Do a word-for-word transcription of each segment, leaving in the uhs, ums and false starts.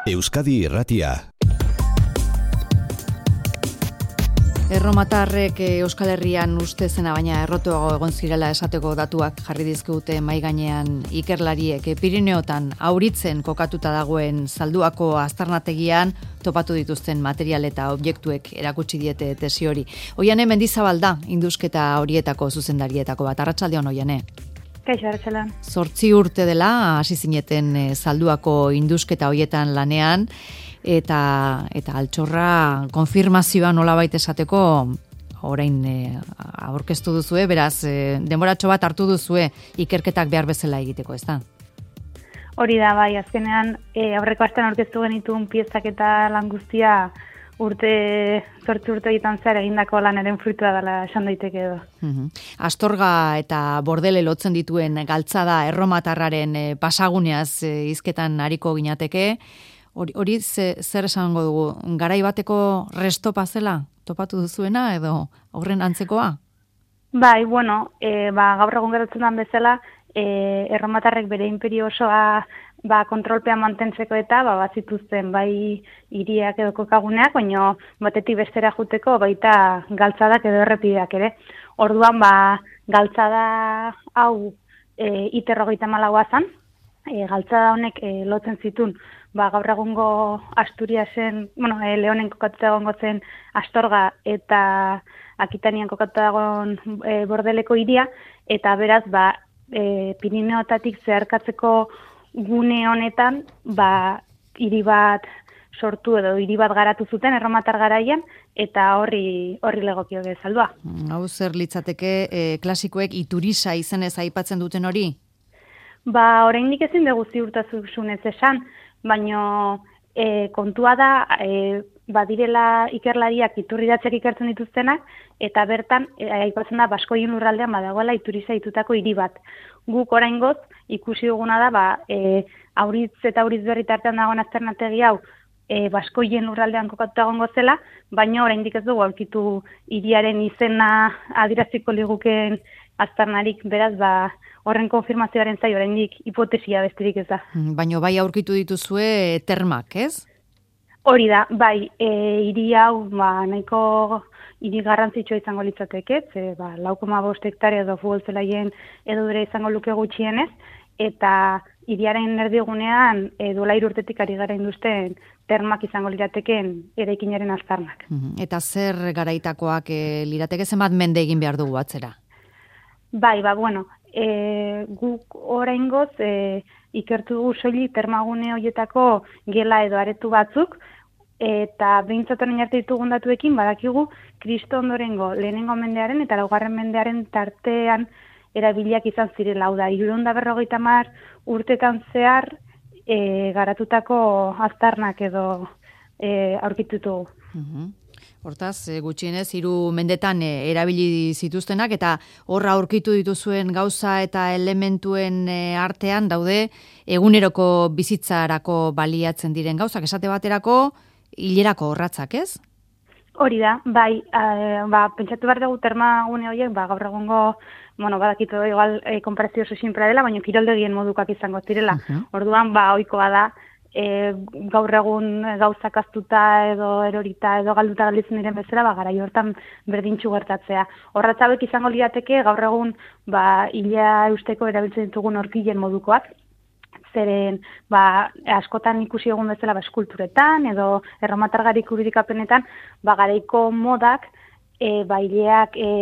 Euskadi Irratia. Erromatarrek Euskal Herrian uste zena baina errotuago egon zirela esateko datuak jarri dizkigute mahai gainean ikerlariek. Pirineotan auritzen kokatuta dagoen Zalduako aztarnategian topatu dituzten material eta objektuek erakutsi diete tesi hori. Oiane Mendizabal da indusketa horietako zuzendarietako bat. Arratsaldeon, Oiane. Kaixo, arratsaldeon. Zortzi urte dela hasi zineten Zalduako indusketa horietan lanean, eta eta altxorra konfirmazioa nolabait esateko orain e, aurkeztu duzue, beraz e, denboratxo bat hartu duzue ikerketak behar bezala egiteko, ezta? Hori da, bai, azkenean e, aurreko astean aurkeztu genituen piezak eta lan guztia urte, zortzi urte egiten zehar egindako lanaren fruitua dela esan daiteke edo. Uhum. Astorga eta Bordele lotzen dituen galtzada erromatarraren e, pasaguneaz e, hizketan ariko ginateke. Hori, hori ze, zer esango dugu, garai bateko restopa zela topatu duzuena edo horren antzekoa? Bai, bueno, e, ba, gaur egun gertatzen den bezala, e, erromatarrek bere imperio osoa ba, kontrolpean mantentzeko eta ba, bazituzten bai hiriak edo kokaguneak, baina batetik bestera juteko baita galtzadak edo errepideak ere. Orduan, ba, galtzada hau e, iterrogeita malagoa zan, e, galtzada honek e, lotzen zituen ba, gaur egungo Asturiasen, bueno, e, Leonen kokatuta egongo zen Astorga eta Akitanian kokatuta egon e, Bordeleko hiria, eta beraz, ba, e, Pirineotatik zeharkatzeko gune honetan, ba, hiri bat sortu edo hiri bat garatu zuten erromatar garaian, eta horri horri legokio Zaldua. Hau zer litzateke e, klasikoek Iturisa izenez aipatzen duten hori? Ba, oraindik ezin dugu ziurtasunez esan, baina e, kontua da, e, badirela ikerlariak iturriratzeak ikertzen dituztenak, eta bertan, e, aipatzen da, Baskoien lurraldean badagoela Ituriza ditutako hiri bat. Guk oraingoz ikusi duguna da, ba, e, Auritz eta Auritz berri tartean dagoen azternategi hau, e, Baskoien lurraldean kokatuta egongo zela, baina oraindik ez dugu aurkitu hiriaren izena adieraziko ligukeen aztarnarik, beraz, ba, horren konfirmazioaren zai oraindik hipotesia besterik ez da. Baina bai aurkitu dituzue termak, ez? Hori da, bai, e, hiri hau ba, nahiko hiri garrantzitsua izango litzateke, ze ba, lau koma bost hektarea edo futbol zelaien edo bere izango luke gutxienez, eta hiriaren erdigunean e, duela hiru urtetik ari gara induzten termak izango lirateken eraikinaren aztarnak. Eta zer garaitakoak e, lirateke zenbat mende egin behar dugu atzera? Bai, ba, bueno, e, guk oraingoz e, ikertu dugu soilik termagune horietako gela edo aretu batzuk, eta behintzat orain arte ditugun datuekin badakigu Kristo ondorengo lehenengo mendearen eta laugarren mendearen tartean erabiliak izan zirela, hau da, hirurehun eta berrogeita hamar urtetan zehar e, garatutako aztarnak edo e, aurkitutu. Uh-huh. Hortaz, gutxienez, hiru mendetan erabili zituztenak, eta horra aurkitu dituzuen gauza eta elementuen artean daude eguneroko bizitzarako baliatzen diren gauzak, esate baterako hilerako horratzak, ez? Hori da, bai, e, ba, pentsatu behar dugu termagune horiek, ba, gaur egungo, bueno, badakitu igual e, konparazio oso sinprea dela, baina kiroldegien modukak izango zirela. Uh-huh. Orduan, ba, ohikoa da, E, gaur egun gauzak aztuta edo erorita edo galduta galditzen diren bezala, ba, garai hortan berdintxu gertatzea. Horratzabek izango lirateke gaur egun ba, hilea eusteko erabiltzen ditugun orkilen modukoak, zeren ba, askotan ikusi egun bezala ba, eskulturetan edo erromatargarik urudikapenetan ba, garaiko modak e, ba, hileak e,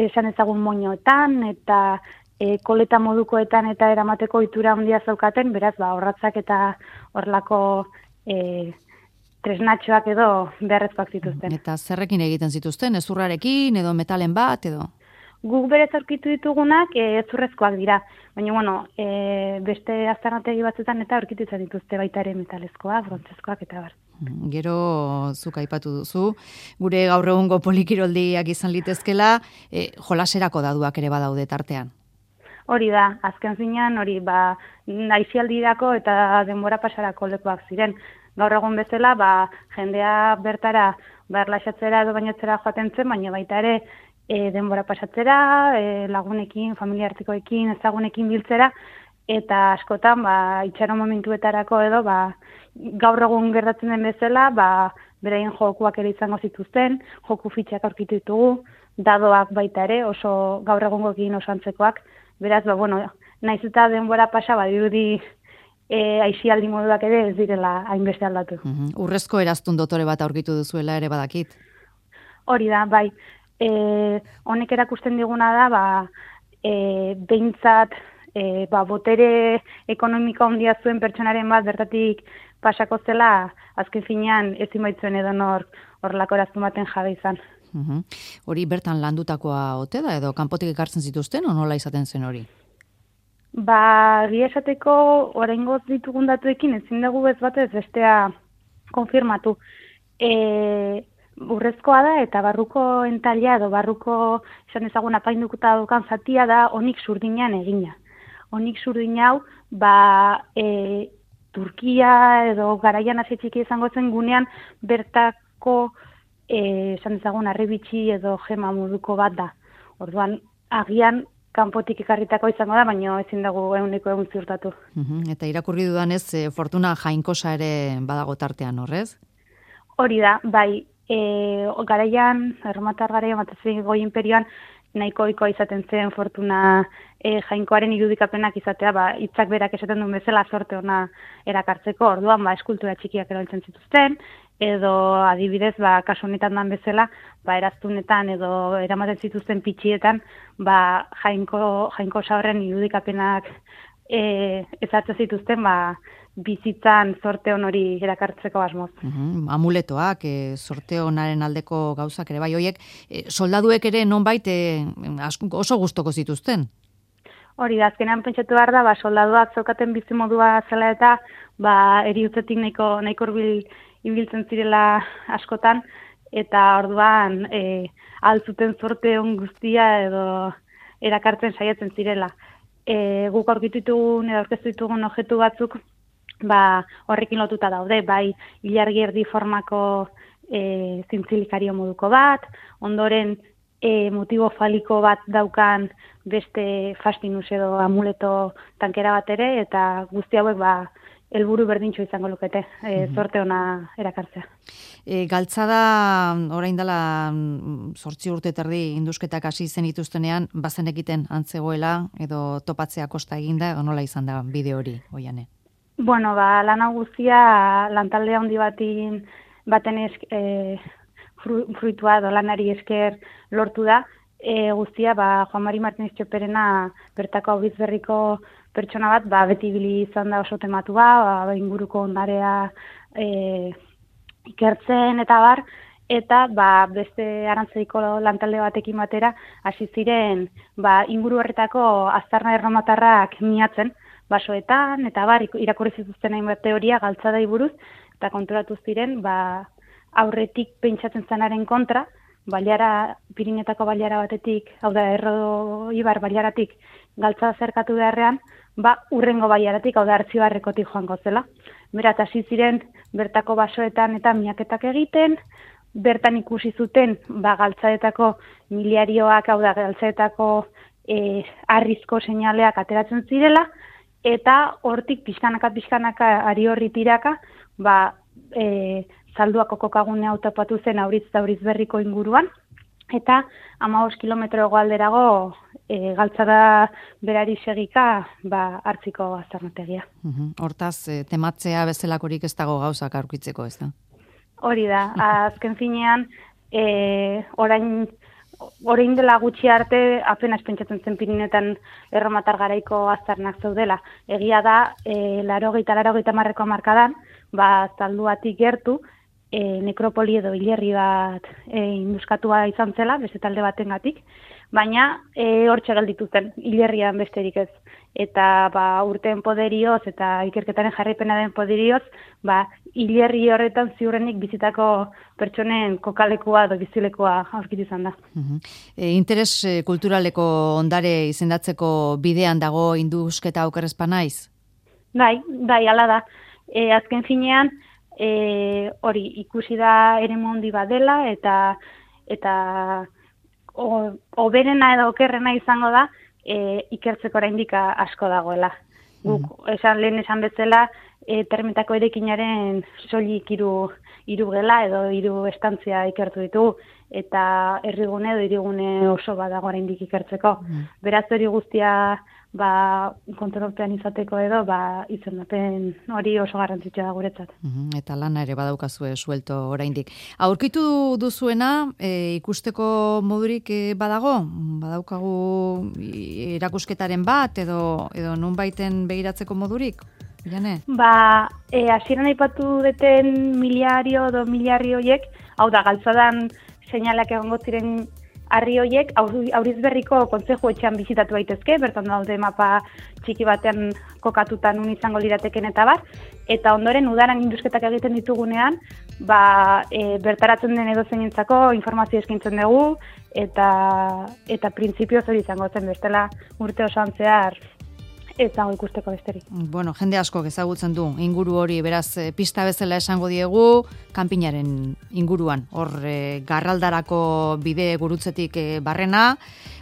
esan ezagun moñoetan eta E, koleta modukoetan eta eramateko itura handia zaukaten, beraz, ba, horratzak eta horlako e, tresnatxoak edo beharrezkoak zituzten. Eta zerrekin egiten zituzten, ezurrarekin edo metalen bat edo? Guk berez aurkitu ditugunak e, ezurrezkoak dira, baina bueno, e, beste aztarnategi batzuetan eta aurkitu izan dituzte baita ere metalezkoak, brontzezkoak eta bar. Gero zuk aipatu duzu, gure gaur egungo polikiroldiak izan litezkela, e, jolaserako daduak ere badaude tartean. Hori da, azken zinean, hori, ba, aizialdirako eta denbora pasarako lekuak ziren. Gaur egun bezala, ba, jendea bertara, ba, erlaxatzera edo bainatzera joaten zen, baina baita ere, e, denbora pasatzera, e, lagunekin, familiartikoekin, ezagunekin biltzera, eta askotan, ba, itxaron momentuetarako edo, ba, gaur egun gertatzen den bezala, ba, beraien jokuak ere izango zituzten, joku fitxak aurkitu ditugu, dadoak baita ere, oso gaur egungoekin oso antzekoak, beraz, ba, bueno, naiz eta denbora pasa, ba, dirudi e, aixialdi moduak ere ez direla hainbeste aldatu. Uhum. Urrezko eraztun dotore bat aurkitu duzuela ere badakit. Hori da, bai. E, honek erakusten diguna da, ba, e, behintzat, e, ba, botere ekonomiko handia zuen pertsonaren bat bertatik pasako zela, azken finean ezin baitzuen edo nor horrelako eraztun baten jabe izan. Uhum. Hori bertan landutakoa ote da edo kanpotik ekartzen zituzten o nola izaten zen hori? Ba, gia esateko oraingoz ditugun datuekin ezin dugu ez batez bestea konfirmatu. E, urrezkoa da eta barruko entaila edo barruko esan ezagun apaindukuta dukan zatia da onik zurdinean egina. Onik zurdin hau, ba, e, Turkia edo garaian hasi txiki izango zen gunean bertako e, esan ezagun harribitxi edo gema moduko bat da. Orduan, agian kanpotik ekarritako izango da, baina ezin dago ehuneko ehun ziurtatu. Uhum. Eta irakurri dudanez, e, Fortuna Jainkosa ere badago tartean, horrez? Hori da, bai, e, garaian, erromatar garaian, batez goi imperioan, nahiko ohikoa izaten zen Fortuna e, Jainkoaren irudikapenak izatea, ba, hitzak berak esaten duen bezala sorte ona erakartzeko, orduan, ba, eskultura txikiak erabiltzen zituzten, edo adibidez, ba, kasu honetan dan bezala, ba, eraztunetan edo eramaten zituzten pitxietan, ba, jainko, jainko horren irudikapenak e, ezatzen zituzten, ba, bizitzan sorte on hori erakartzeko asmoz. Uhum. Amuletoak, e, sorte onaren aldeko gauzak ere, bai, hoiek, e, soldaduek ere nonbait e, oso gustoko zituzten? Hori da, azkenean pentsatu behar da, ba, soldaduak zeukaten bizimodua zela eta ba, eriutzetik nahiko, nahiko hurbil ibiltzen zirela askotan, eta orduan e, altzuten sorte on guztia edo erakartzen saiatzen zirela. E, guk aurkitu ditugun edo aurkeztu ditugun objektu batzuk ba, horrekin lotuta daude, bai ilargi erdi formako e, zintzilikario moduko bat, ondoren e, motibo faliko bat daukan beste fastinus edo amuleto tankera bat ere, eta guzti hauek ba, helburu berdintxo izango lukete, e, zorte ona erakartzea. E, galtzada, orain dela zortzi urte terdi indusketak hasi zen ituztenean, bazen egiten antzegoela, edo topatzea kosta eginda, edo nola izan da bide hori, Oiane? Bueno, ba, lana guztia lantalde handi batin baten esk, e, fru, fruitua edo lanari esker lortu da. E, guztia, ba, Juan Mari Martínez Txoperena bertako auriz berriko pertsona bat, ba, beti bili izan da oso tematua, ba, inguruko ondarea e, ikertzen eta bar, eta ba, beste arantzaiko lantalde batekin batera hasi ziren ba, inguru horretako aztarna erromatarrak miatzen, basoetan, eta bar, irakurri zituzten hainbat teoria galtzadai buruz, eta konturatu ziren, ba, aurretik pentsatzen zanaren kontra, baliara, Pirinetako baliara batetik, hau da, Erro Ibar baliaratik galtzada zerkatu beharrean, ba, urrengo baliaratik, hau da, Artzibarrekotik joango zela. Berat, hasi ziren, bertako basoetan eta miaketak egiten, bertan ikusi zuten, ba, galtzadetako miliarioak, hau da, galtzadetako e, arrizko seinaleak ateratzen zirela, eta hortik pixkanaka pixkanaka ari horri tiraka, ba, e, zalduako kokagune hau topatu zen Auriz eta Auriz Berriko inguruan, eta hamabost kilometro hegoalderago e, galtzada berari segika ba, hartziko aztarnategia. Uhum. Hortaz, e, tematzea bezalakorik ez dago gauzak aurkitzeko, ez da? Hori da, azken finean, e, orain Orain dela gutxi arte, apenas pentsatzen zen Pirinetan erromatar garaiko aztarnak zeudela. Egia da, e, larogeita, larogeita marreko markadan, ba, zalduatik gertu, e, nekropoli edo hilerri bat e, induskatua izan zela, beste talde batengatik, baina e, hortxe gelditu zen, hilerrian besterik ez. Eta ba, urteen poderioz eta ikerketaren jarraipena den poderioz, ba, hilerri horretan ziurrenik bizitako pertsonen kokalekua edo bizilekua aurkitu izan da. Uhum. E, interes e, kulturaleko ondare izendatzeko bidean dago indusketa okerrezpa naiz? Bai, bai, ala da. E, azken finean, e, hori ikusi da eremu handi bat dela, eta eta hoberena edo okerrena izango da, e, ikertzeko oraindik asko dagoela. Guk, esan lehen esan bezala, e, termetako erekinaren soilik hiru hiru gela edo hiru estantzia ikertu ditugu, eta herrigune edo hirigune oso badago oraindik ikertzeko. Mm. Beraz hori guztia ba, kontrolpean izateko edo, ba, izendapen hori oso garrantzitsua da guretzat. Uhum, eta lana ere badaukazue suelto oraindik. Aurkitu duzuena, e, ikusteko modurik e, badago? Badaukagu erakusketaren bat, edo, edo nunbaiten begiratzeko modurik? Jane? Ba, e, hasieran aipatu deten miliario edo miliarri horiek, hau da, galtzadan seinalak egongo ziren harri horiek auriz berriko kontzeju etxean bizitatu daitezke, bertan daude mapa txiki batean kokatutan un izango lirateken eta bar, eta ondoren udaran indusketak egiten ditugunean, ba, e, bertaratzen den edozeinentzako informazio eskaintzen dugu, eta eta printzipioz hori izango zen bestela urte osoan zehar ez dago ikusteko besterik. Bueno, jende asko ezagutzen du inguru hori, beraz pista bezala esango diegu, kanpinaren inguruan, hor e, garraldarako bide gurutzetik e, barrena,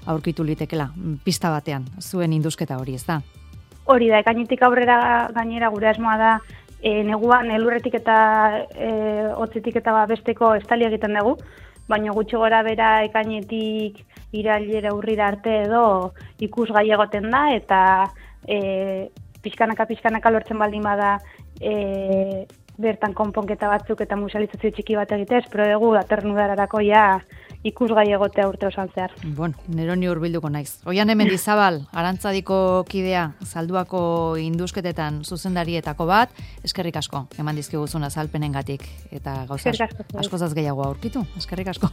aurkitu litekela, pista batean, zuen indusketa hori, ez da? Hori da, ekainetik aurrera gainera gure asmoa da, e, neguan elurretik eta e, hotzetik eta besteko estali egiten dugu, baina gutxi gora bera ekainetik irailera urrira arte edo ikusgai egoten da, eta E, pixkanaka pixkanaka lortzen baldin bada e, bertan konponketa batzuk eta musealizazio txiki bat egitez, pero dugu datorren udararako ja ikusgai egotea urte osoan zehar. Bueno, neroni hurbilduko naiz. Oiane Mendizabal, Arantzadiko kidea, Salduako indusketetan zuzendarietako bat, eskerrik asko, eman dizkiguzun azalpenengatik eta gauza askozaz gehiago aurkitu, eskerrik asko.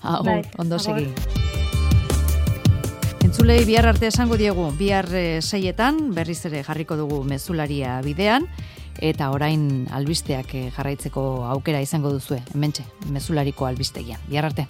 Hau, ondo segi. Entzulei bihar arte esango diegu, bihar seietan berriz ere jarriko dugu mezularia bidean, eta orain albisteak jarraitzeko aukera izango duzue, hementxe, mezulariko albistegian. Bihar arte.